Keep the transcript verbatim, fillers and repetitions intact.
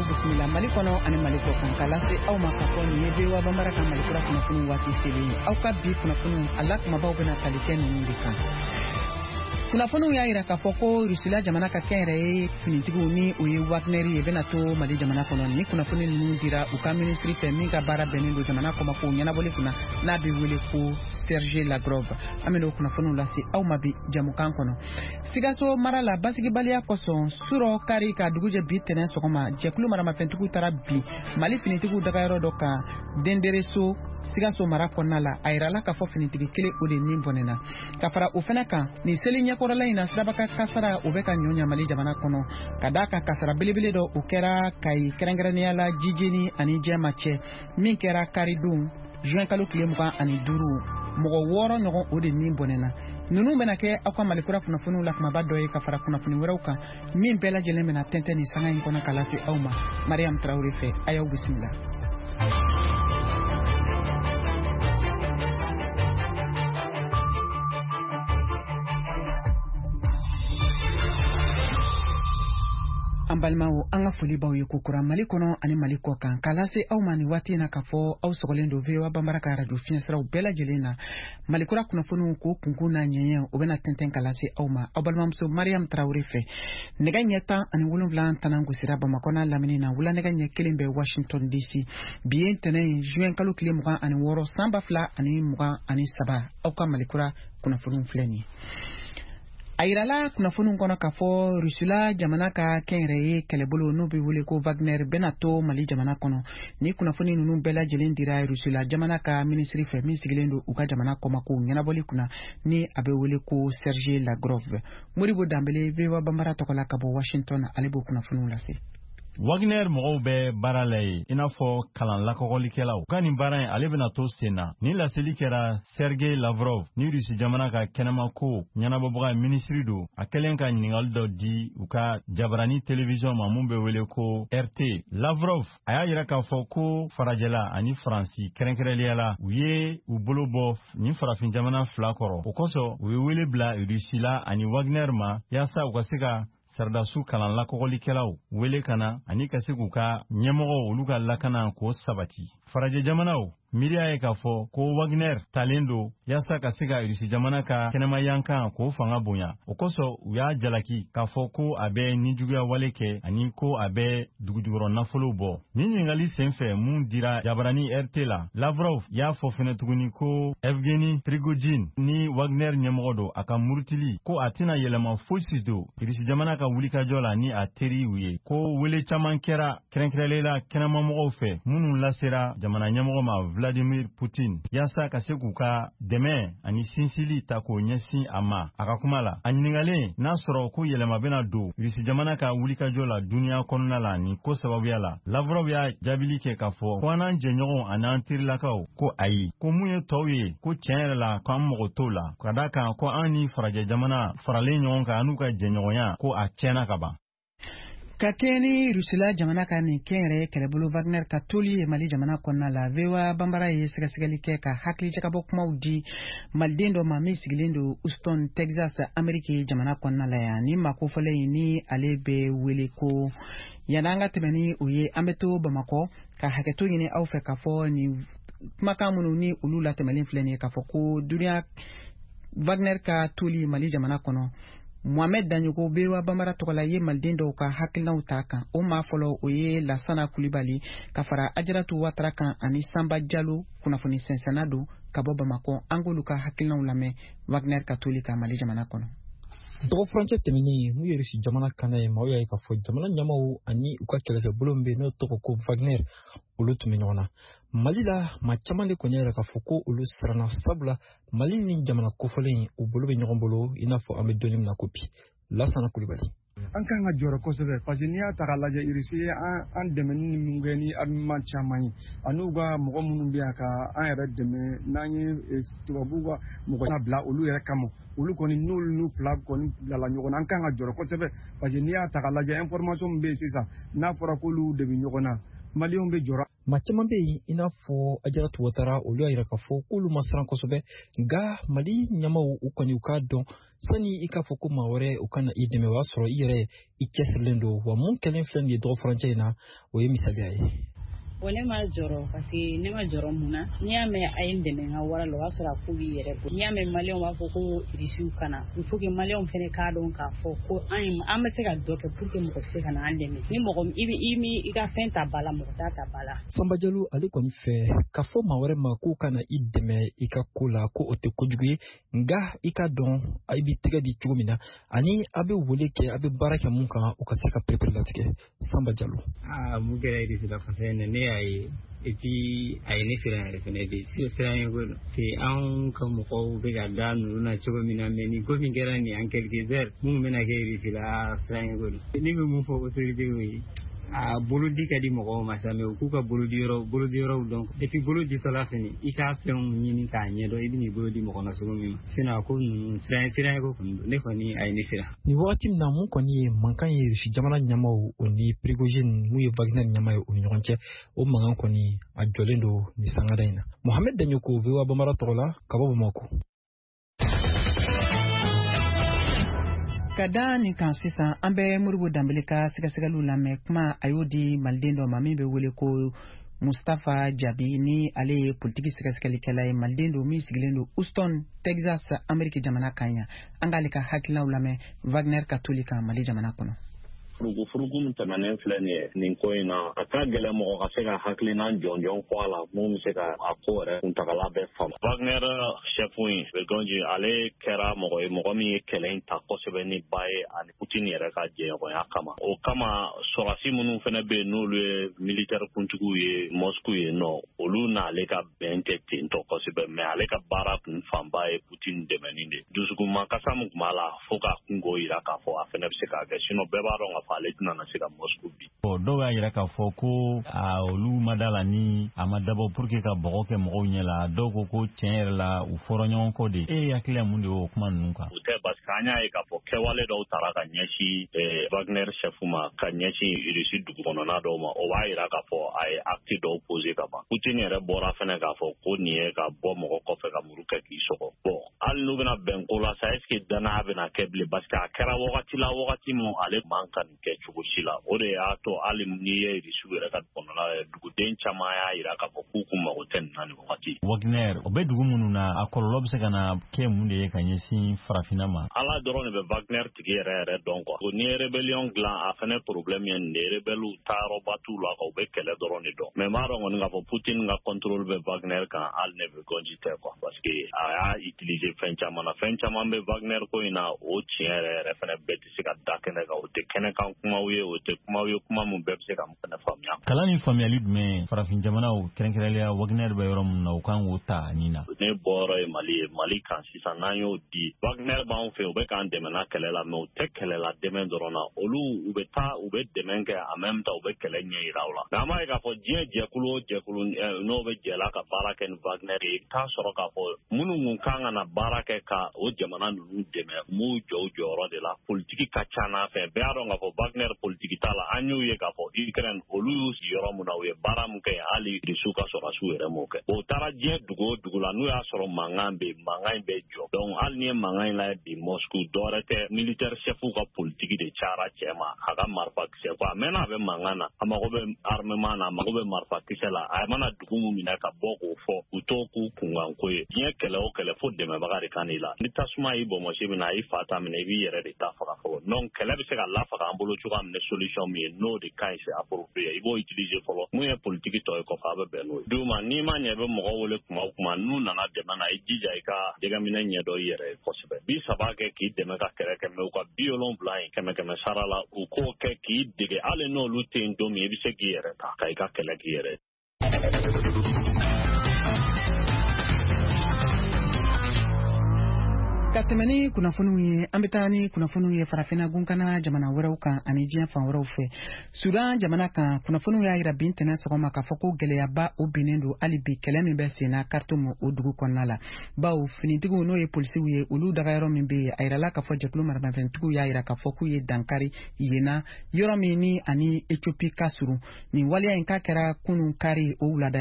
Y'aw bisimila Mali kɔnɔ ani Mali kɔ kan k'a lase aw ma k'a fɔ nin ye V O A Banbara ka Mali kura kunnafoni waati selen ye. Aw ka bi kunnafoniw a la kumabaw bɛna tali kɛ ninnu de kan. Kunnafoniw y'a yira k'a fɔ ko Rusila jamana ka kɛnyɛrɛye finitigiw, ni o ye Wagner ye, bɛna to Mali jamana kɔnɔ. Ni kunnafoni ninnu dira u ka minisiri fɛ min ka baara bɛnnen don jamana kɔmakow ɲɛnabɔli kunna, n'a bɛ wele ko Sergei Lavrov. An bɛna o kunnafoniw lase aw ma bi jamukan kɔnɔ. Sikaso mara la, basigibaliya kosɔn, surɔ kari ka dugujɛ bi tɛnɛ sɔgɔma, jɛkulu maramafɛntigiw taara bi Mali finitigiw dagayɔrɔ dɔ kan Dendereso, Sikaso mara kɔnɔna la. A yirala k'a fɔ finitigi kelen, o de nin bɔnɛna. Ka fara o fɛnɛ kan, nin seli ɲɛkɔrɔla in na, sirabaka kasara o bɛ ka ɲɔ ɲa Mali jamana kɔnɔ, ka d'a kan kasara belebele dɔ o kɛra Kayi, kɛrɛnkɛrɛnnenya la Jijeni ani Jɛma cɛ, min kɛra karidon juin kalo tile mugan ani duuru. Mɔgɔ wɔɔrɔ ɲɔgɔn, o de nin bɔnɛna. Ninnu bɛna kɛ aw ka Malikura kunnafoniw la kumaba dɔ ye, ka fara kunnafoni wɛrɛw kan min bɛɛ lajɛlen bɛna tɛntɛn nin sanga in kɔnɔ ka lase aw ma Mariam Tarawele fɛ. A y'aw bisimila. An balimaw, an ka foli b'aw ye kokura Mali kɔnɔ ani Mali kɔ kan, k'a lase aw ma nin waati in na k'a fɔ aw sɔgɔlen don V O A Banbara ka radio fiɲɛsiraw bɛɛ lajɛlen na. Malikura kunnafoniw k'o kunkun n'a ɲɛɲɛ, o bɛna tɛntɛn ka lase aw ma aw balimamuso Mariam Tarawele fɛ. Nɛgɛ ɲɛ tan ani wolonwula tanan gosira Bamakɔ n'a lamini na, wula nɛgɛ ɲɛ kelen bɛ Washington D C. Bi ye ntɛnɛn ye, juin kalo tile mugan ani wɔɔrɔ, san ba fila ani mugan ani saba. Aw ka Malikura kunnafoniw filɛ nin ye. A yirala kunnafoniw kɔnɔ k'a fɔ Rusila jamana ka kɛnyɛrɛye kɛlɛbolo, n'o bɛ wele ko Wagner, bɛna to Mali jamana kɔnɔ. Ni kunnafoni ninnu bɛɛ lajɛlen dira Rusila jamana ka minisiri fɛ min sigilen don u ka jamana kɔmakow ɲɛnabɔli kunna, ni a bɛ wele ko Sergei Lavrov. Modibo Danbele, V O A Banbara tɔgɔ la ka bɔ Washington, ale b'o kunnafoniw lase. Wagner mɔgɔw bɛ baara la ye i n'a fɔ kalan lakɔgɔlikɛlaw ka nin baara in, ale bɛna to sen na. Nin laseli kɛra Sergei Lavrov ni Rusi jamana ka kɛnɛmako ɲɛnabɔbaga minisiri don, a kɛlen ka ɲiningali dɔ di u ka jabarani telewisɔn ma mun bɛ wele ko R T. Lavrov a y'a yira k'a fɔ ko farajɛla ani Faransi kɛrɛnkɛrɛnliya la, u ye u bolo bɔ nin farafin jamana fila kɔrɔ. O kosɔn, u ye wele bila Rusila ani Wagner ma yaasa u ka se ka saradasiw kalan lakɔgɔlikɛlaw wele ka na ani ka se k'u ka ɲɛmɔgɔw, olu ka lakana k'o sabati. Farajɛ jamanaw miiriya ye k'a fɔ ko Wagner talen don yaasa ka se ka Irisi jamana ka kɛnɛmayankan k'o fanga bonya. O kosɔn, u y'a jalaki k'a fɔ ko a bɛ nijuguya wale kɛ ani ko a bɛ dugujukɔrɔ nafolow bɔ. Nin ɲiningali sen fɛ mun dira jabarani R T la, Lavrov y'a fɔ fɛnɛ tuguni ko Evgeni Prigojine ni Wagner ɲɛmɔgɔ don, a ka murutili ko a tɛna yɛlɛma fosi don Irisi jamana ka wulikajɔ la ni a teriw ye. Ko wele caman kɛra, kɛrɛnkɛrɛnlen kɛnɛmamɔgɔw fɛ minnu lasera jamana ɲɛmɔgɔ ma Vladimir Putin, yaasa ka se k'u ka dɛmɛ ani sinsili ta k'o ɲɛsin a ma. A ka kuma la, a ɲiningalen n'a sɔrɔ ko yɛlɛma bɛna don Irisi jamana ka wulikajɔ la duniɲa kɔnɔna la nin ko sababuya la, Lavrov y'a jaabili kɛ k'a fɔ ko an n'an jɛɲɔgɔnw ani an terilakaw ko ayi, ko mun ye tɔw ye, ko tiɲɛ yɛrɛ la ko an mago t'o la, ka da kan ko an ni farajɛ jamana faralen ɲɔgɔn kan, an n'u ka jɛɲɔgɔnya, ko a tiɲɛna ka ban. Ka kɛɲɛ ni Rusila jamana ka nin kɛnyɛrɛye kɛlɛbolo Wagner ka toli ye Mali jamana kɔnɔna la, V O A Banbara ye sɛgɛsɛgɛli kɛ ka hakilijagabɔ kumaw di maliden dɔ ma min sigilen don Houston, Texas, Ameriki jamana kɔnɔna la yan. Ni maa kofɔlen in, ni ale bɛ wele ko, yanni an ka tɛmɛ ni o ye, an bɛ to Bamakɔ ka hakɛto ɲini aw fɛ k'a fɔ nin kumakan minnu ni olu latɛmɛlen filɛ nin ye, k'a fɔ ko duniya Wagner ka toli Mali jamana kɔnɔ, Mohamed Daɲogo, V O A Banbara tɔgɔ la, ye maliden dɔw ka hakilinaw ta kan. O maa fɔlɔ, o ye Lasana Kulibali, ka fara Ajaratu Watara kan ani Sanba Jalo, kunnafoni sɛnsɛnna don ka bɔ Bamakɔ. An k'olu ka hakilinaw lamɛn Wagner ka toli ka Mali jamana kɔnɔ. Dɔgɔ furancɛ tɛmɛnen, n'u ye Rusi jamana kana ye, maaw y'a ye k'a fɔ jamana ɲɛmaw ani u ka kɛlɛkɛbolo min bɛ yen n'o tɔgɔ ko Wagner, olu tun bɛ ɲɔgɔn na Mali la. Maa caman de kɔni y'a yira k'a fɔ ko olu siranna, sabula Mali ni jamana kofɔlen u bolo bɛ ɲɔgɔn bolo i n'a fɔ an bɛ don min na ko bi. Lasana Kulibali. An kan ka jɔrɔ kosɛbɛ, parce que n'i y'a ta k'a lajɛ, Irisi ye an dɛmɛ ni min kɛ ni armement caman ye, ani ka mɔgɔ minnu bɛ yan ka an yɛrɛ dɛmɛ n'an ye tubabuw ka mɔgɔ bila olu yɛrɛ kama, olu kɔni n'olu n'u fila kɔni bilala ɲɔgɔn na, an kan ka jɔrɔ kosɛbɛ, parce que n'i y'a ta k'a lajɛ, information min bɛ yen sisan, n'a fɔra k'olu de bɛ ɲɔgɔn na, maliyɛnw bɛ jɔrɔ. Maa caman bɛ yen i n'a fɔ Ajaratu Watara, olu y'a yira k'a fɔ k'olu ma siran kosɛbɛ, nka Mali ɲɛmaaw u kɔni u k'a dɔn sani i k'a fɔ ko maa wɛrɛ u kana i dɛmɛ, o y'a sɔrɔ i yɛrɛ i cɛsirilen don. Wa mun kɛlen filɛ nin ye dɔgɔ furancɛ in na, o ye misaliya ye. Bon, ne ma jɔrɔ parce que ne ma jɔrɔ mun na, n'i y'a mɛn a ye n dɛmɛ n ka wara la, o y'a sɔrɔ a ko b'i yɛrɛ bolo. N'i y'a mɛn maliyɛnw b'a fɔ ko irisiw kana, il faut que maliyɛnw fɛnɛ k'a dɔn k'a fɔ ko an an bɛ se ka dɔ kɛ pour que mɔgɔ se ka na an dɛmɛ. Ni mɔgɔ i bɛ i mi i ka fɛn ta ba la, mɔgɔ t'a ta ba la. Sanba Jalo ale kɔni fɛ k'a fɔ maa wɛrɛ ma k'o kana i dɛmɛ i ka ko la, ko o tɛ kojugu ye, nka i ka dɔn i b'i tɛgɛ di cogo min na ani a bɛ wele kɛ, a bɛ baara kɛ mun kan, o ka se ka perepere latigɛ. Sanba Jalo. Aa, mun kɛra irisi la kosɛbɛ ne y'a ye, et puis a ye ne siran yɛrɛ fɛnɛ de siran ye ko c'est anw ka mɔgɔw bɛ ka da ninnu na cogo min na, mais nin ko min kɛra nin en quelques heures minnu bɛna kɛ irisi la, siran ye ko ne bɛ mun fɔ autorités ye, a bolodi ka di mɔgɔw ma sa, mais u k'u ka bolodiyɔrɔ bolodiyɔrɔw dɔn, et puis bolo ditɔla fɛnɛ i k'a fɛnw ɲini k'a ɲɛdɔn i bɛ n'i bolo di mɔgɔ ma cogo min ma, sinon a ko ninnu siran siran ko kɔni don, ne kɔni a ye ne siran. Nin wagati min na mun kɔni ye mankan ye Rusi jamana ɲɛmaaw o ni Prigojine mun ye Wagner ɲɛmaa ye o ni ɲɔgɔn cɛ, o mankan kɔni a jɔlen don nin sangada in na. Mohamed Daɲoko, V O A Bambara tɔgɔ la ka bɔ Bamakɔ. Ka da nin kan sisan, an bɛ Modibo Danbele ka sɛgɛsɛgɛliw lamɛn. Kuma a y'o di maliden dɔ ma min bɛ wele ko Mustafa Jabi, ni ale ye politiki sɛgɛsɛgɛlikɛla ye, maliden don min sigilen don Houston, Texas, Ameriki jamana kan yan. An k'ale ka hakilinaw lamɛn Wagner ka toli kan Mali jamana kɔnɔ. Furugufurugu min tɛmɛnen filɛ nin ye nin ko in na, a ka gɛlɛn mɔgɔ ka se ka hakilina jɔnjɔn fɔ a la mun bɛ se ka a ko yɛrɛ kuntagala bɛɛ faamu. Wagner chef in Prigojine, ale kɛra mɔgɔ ye mɔgɔ min ye kɛlɛ in ta kosɛbɛ ni ba ye ani Putin yɛrɛ ka jɛɲɔgɔnya kama. O kama sɔrɔdasi minnu fana bɛ yen n'olu ye militaire kuntigiw ye Moscou yen nɔ, olu n'ale ka bɛn tɛ ten tɔ kosɛbɛ, mais ale ka baara kun fanba ye Putin dɛmɛni de. Dusukunma kasa min tun b'a la fo k'a kungo yira k'a fɔ a fana bɛ se k'a kɛ, sinon bɛɛ b'a dɔn k'a fɔ ale tɛna na se ka Moscou bi. Bon, dɔw y'a yira k'a fɔ ko a olu ma da la ni a ma dabɔ pour que ka bɔgɔ kɛ mɔgɔw ɲɛ la. Dɔw ko ko tiɲɛ yɛrɛ la u fɔra ɲɔgɔn kɔ de. E hakili la mun de y'o kuma ninnu kan? O tɛ, parce que an y'a ye k'a fɔ kɛwale dɔw taara ka ɲɛsin Wagner chef ma, ka ɲɛsin Russie dugu kɔnɔna dɔw ma, o b'a yira k'a fɔ a ye acte dɔw posé ka ban. Putin yɛrɛ bɔra fɛnɛ k'a fɔ ko nin ye ka bɔ mɔgɔ kɔfɛ ka muru kɛ k'i sɔgɔ. Bon, hali n'u bɛna bɛn ko la sa, est ce que danaya bɛna kɛ bilen? Parce que a kɛra wagati la wagati min ale man ka nin kɛ cogo si la. O de y'a to hali n'i ye Rusiw yɛrɛ ka kɔnɔna ye, duguden caman y'a yira k'a fɔ k'u kun mago tɛ nin na nin wagati. Wagner o bɛ dugu minnu na, a kɔlɔlɔ bɛ se ka na kɛ mun de ye ka ɲɛsin farafinna ma? Ala dɔrɔn de bɛ Wagner tigi yɛrɛ yɛrɛ dɔn quoi. N'i ye rébellion dilan, a fɛnɛ problème ye nin de ye, rebelle taayɔrɔba t'u la quoi, u bɛ kɛlɛ dɔrɔn de dɔn. Mais n b'a dɔn kɔni k'a fɔ Putin ka contrôle bɛ Wagner kan hali ne Prigojine tɛ quoi, parce que a y'a utiliser fɛn caman na. Fɛn caman bɛ Wagner ko in na, o tiɲɛ yɛrɛ yɛrɛ fɛnɛ bɛɛ tɛ se ka da kɛnɛ kan, o tɛ kɛnɛ kan kumaw ye, o tɛ kumaw ye kuma min bɛɛ bɛ se ka fɛnɛ faamuya. Kalan ni faamuyali jumɛn farafin jamanaw kɛrɛnkɛrɛnnenya Wagner bɛ yɔrɔ min na, u kan k'o ta nin na? Ne bɔyɔrɔ ye Mali ye, Mali kan sisan n'an y'o di Wagner b'anw fɛ, u bɛ k'an dɛmɛ n'a kɛlɛ la, mais u tɛ kɛlɛ la dɛmɛ dɔrɔn na, olu u bɛ taa u bɛ dɛmɛ kɛ en même temps u bɛ kɛlɛ ɲɛ yira u la. Mais an b'a ye k'a fɔ diɲɛ jɛkulu o jɛkulu n'o bɛ jɛ la ka baara kɛ ni Wagner ye, i bɛ taa sɔrɔ k'a fɔ minnu kun kan ka na baara kɛ ka o jamana ninnu dɛmɛ, u m'u jɔ u jɔyɔrɔ de la. Politiki ka ca n'a fɛ, bɛɛ y'a dɔn k'a fɔ Wagner politiki t'a la. An y'u ye k'a fɔ Ukraine olu y'u sigi yɔrɔ min na, u ye baara min kɛ hali Rusiw ka sɔrɔdasiw yɛrɛ m'o kɛ. O taara diɲɛ dugu o dugu la, n'u y'a sɔrɔ mankan bɛ yen, mankan in bɛ jɔ. Donc hali n'i ye mankan in lajɛ bi Moscou, dɔwɛrɛ tɛ, militaire chef ka politiki de cayara cɛ ma, a ka marifakisɛ ko a mɛnna a bɛ mankan na, a mago bɛ armement na, a mago bɛ marifakisɛ la, a mana dugu min minɛ ka bɔ k'o fɔ, u t'o k'u kunkanko ye. Diɲɛ kɛlɛ o kɛlɛ fo dɛmɛbaga de ka n'i la. Ni tasuma y'i bɔnbɔsi minɛ, a y'i fa ta minɛ, i b'i yɛrɛ de ta faga fɔlɔ. Donc kɛlɛ bɛ se ka lafaga an bolo cogoya min ni solution min ye, n'o de ka ɲi, c'est approprié, i b'o utiliser fɔlɔ. Mun ye politiki tɔ ye kɔfɛ, a bɛ bɛn n'o ye. D'u ma n'i ma ɲɛ i bɛ mɔgɔ wele kuma o kuma, n'u nana dɛmɛ na, i jija i ka jɛgɛminɛ ɲɛdɔn i yɛrɛ ye kosɛbɛ. Bi saba kɛ k'i dɛmɛ ka kɛlɛ kɛ, mais u ka bi wolonwula in kɛmɛ kɛmɛ sara la, u k'o kɛ k'i dege, hali n'olu tɛ yen don min, i bɛ se k'i yɛrɛ ta ka i ka kɛlɛ k'i yɛrɛ ye. Ka Ka tɛmɛ ni kunnafoniw ye, an bɛ taa ni kunnafoniw ye Farafinna gunkana jamana wɛrɛw kan ani diɲɛ fan wɛrɛw fɛ. Sudan jamana kan, kunnafoniw y'a yira bi ntɛnɛn sɔgɔma k'a fɔ ko gɛlɛyaba o binnen don hali bi kɛlɛ min bɛ senna Khartoum, o dugu kɔnɔna la, bawo finitigiw, n'o ye polisiw ye, olu dagayɔrɔ min bɛ yen, a yirala k'a fɔ jɛkulu maramafɛntigiw y'a yira k'a fɔ k'u ye dankari yen na, yɔrɔ min ni ani Ethiopie ka surun. Nin waleya in k'a kɛra kunun kari o wulada.